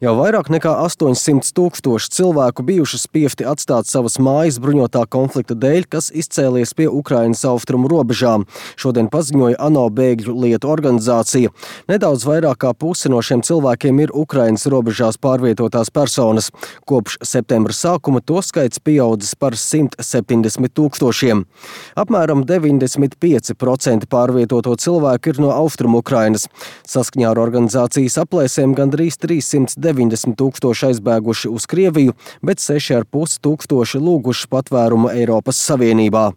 Jau vairāk nekā 800 000 cilvēku bijuši spiesti atstāt savas mājas bruņotā konflikta dēļ, kas izcēlies pie Ukrainas austrumu robežām. Šodien paziņoja ANO bēgļu lietu organizācija. Nedaudz vairāk kā puse no šiem cilvēkiem ir Ukrainas robežās pārvietotās personas. Kopš septembra sākuma to skaits pieaudzis par 170 000. Apmēram 95% pārvietoto cilvēku ir no austrumu Ukrainas. Saskaņā ar organizācijas aplēsēm gandrīz 390 000 aizbēguši uz Krieviju, bet 6,5 tūkstoši lūguši patvērumu Eiropas Savienībā.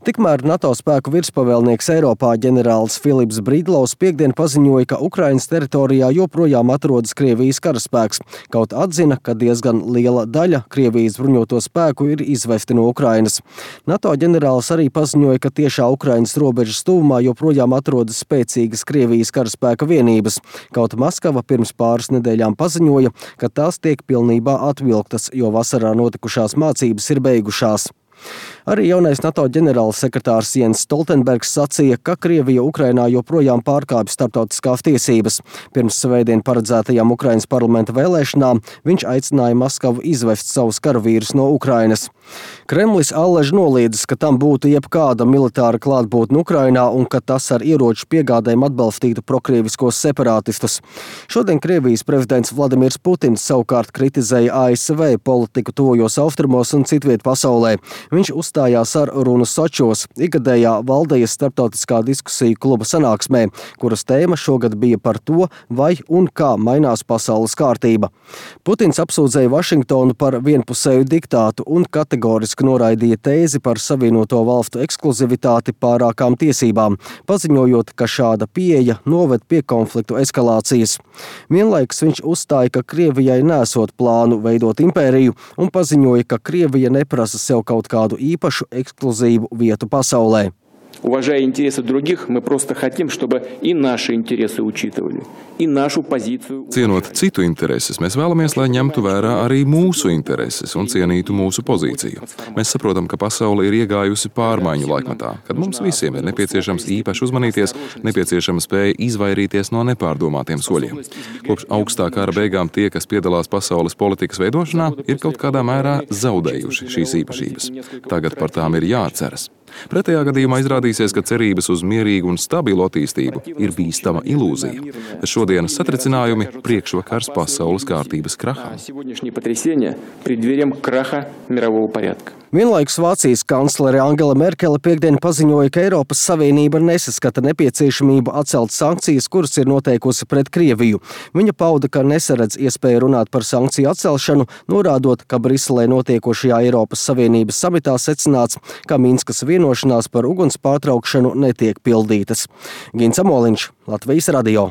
Tikmēr NATO spēku virspavēlnieks Eiropā ģenerālis Filips Brīdlaus piekdien paziņoja, ka Ukrainas teritorijā joprojām atrodas Krievijas karaspēks, kaut atzina, ka diezgan liela daļa Krievijas bruņoto spēku ir izvesti no Ukrainas. NATO ģenerālis arī paziņoja, ka tiešā Ukrainas robežas tuvumā joprojām atrodas spēcīgas Krievijas karaspēka vienības, kaut Maskava pirms pāris nedēļām paziņoja, ka tās tiek pilnībā atvilktas, jo vasarā notikušās mācības ir beigušās. Arī jaunais NATO ģenerālsekretārs Jens Stoltenbergs sacīja, ka Krievija Ukrainā joprojām pārkāpj starptautiskās tiesības. Pirms svētdien paredzētajām Ukrainas parlamenta vēlēšanām viņš aicināja Maskavu izvest savus karavīrus no Ukrainas. Kremlis allaž noliedzis, ka tam būtu jebkāda militāra klātbūtne Ukrainā un ka tas ar ieroču piegādēm atbalstītu prokrieviskos separātistus. Šodien Krievijas prezidents Vladimirs Putins savukārt kritizēja ASV politiku tuvojos austrumos un citviet pasaulē. Viņš uzstājās ar runu Sočos, ikgadējā Valdejas starptautiskā diskusiju kluba sanāksmē, kuras tēma šogad bija par to, vai un kā mainās pasaules kārtība. Putins apsūdzēja Vašingtonu par vienpusēju diktātu un kategoriski noraidīja tēzi par Savienoto valstu ekskluzivitāti pārākām tiesībām, paziņojot, ka šāda pieeja noved pie konfliktu eskalācijas. Vienlaikus viņš uzstāja, ka Krievijai nesot plānu veidot impēriju un paziņoja, ka Krievija neprasa sev kaut kādu īpašu ekskluzīvu vietu pasaulē. Уважая интересы других, мы просто хотим, чтобы и наши интересы учитывали, и нашу позицию. Cienot citu intereses, mēs vēlamies, lai ņemtu vērā arī mūsu intereses un cienītu mūsu pozīciju. Mēs saprotam, ka pasaule ir iegājusi pārmaiņu laikmetā, kad mums visiem ir nepieciešams īpaši uzmanīties, nepieciešama spēja izvairīties no nepārdomātiem soļiem. Kopš augstā kara beigām tie, kas piedalās pasaules politikas veidošanā, ir kaut kādā mērā zaudējuši šīs īpašības. Tagad par tām ir jāatceras. Pretējā gadījumā izrādīsies, ka cerības uz mierīgu un stabilu attīstību ir bīstama ilūzija. Šodienas satricinājumi priekšvakars pasaules kārtības kraham. Vienlaikus Vācijas kanclere Angela Merkele piekdien paziņoja, ka Eiropas Savienība nesaskata nepieciešamību atcelt sankcijas, kuras ir noteikusi pret Krieviju. Viņa pauda, ka nesaredz iespēju runāt par sankciju atcelšanu, norādot, ka Briselē notiekošajā Eiropas Savienības samitā secināts, ka Minskas vienošanās par uguns pārtraukšanu netiek pildītas. Gins Amoliņš, Latvijas radio.